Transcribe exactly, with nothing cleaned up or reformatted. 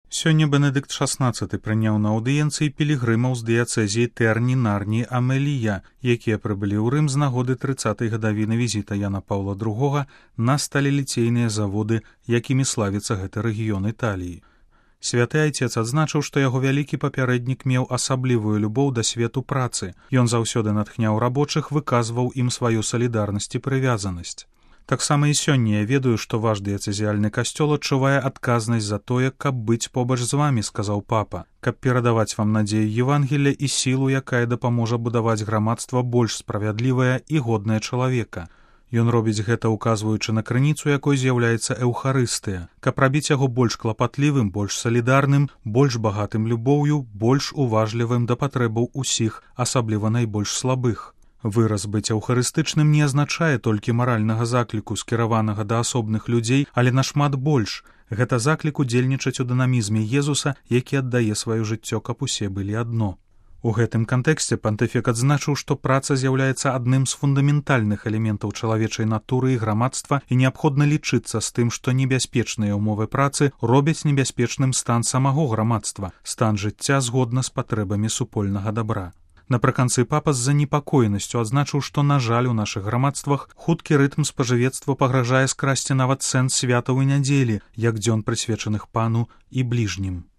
Сёння Бенедыкт шаснаццаты прыняў на аўдыенцыі пілігрымаў з дыяцэзіі Тэрні, Нарні, Амелія, якія прыбылі ў Рым з нагоды трыццатай гадавіны візіта Яна Паўла другога на сталеліцейныя заводы, якімі славіцца гэты рэгіён Італіі. Святы айцец адзначыў, што яго вялікі папярэднік меў асаблівую любоў да свету працы. Ён заўсёды натхняў рабочых, выказваў ім сваю салідарнасць і прывязанасць. Таксама і сёння я ведаю, што ваш дыяцэзіяльны касцёл адчувае адказнасць за тое, каб быць побач з вамі, сказаў папа, каб перадаваць вам надзею Евангелля і сілу, якая дапаможа будаваць грамадства больш справядлівае і годнае чалавека. Ён робіць гэта, указваючы на крыніцу, якой з'яўляецца эўхарыстыя, каб рабіць яго больш клапатлівым, больш салідарным, больш багатым любоўю, больш уважлівым да патрэбаў усіх, асабліва найбольш слабых. Выраз быць аўхарыстычным не азначае толькі маральнага закліку, скіраванага да асобных людзей, але нашмат больш. Гэта заклік удзельнічаць у дынамізме Езуса, які аддае сваё жыццё, каб усе былі адно. У гэтым кантэксце пантыфік адзначыў, што праца з'яўляецца адным з фундаментальных элементаў чалавечай натуры і грамадства, і неабходна лічыцца з тым, што небяспечныя ўмовы працы робяць небяспечным стан самого грамадства, стан жыцця згодна з патрэбамі супольнага дабра. Напрыканцы папа з занепакоенасцю адзначыў, што, на жаль, у нашых грамадствах хуткі рытм спажывецтва пагражае скрасці нават сэнс святаў і нядзелі, як дзён прысвечаных пану і бліжнім.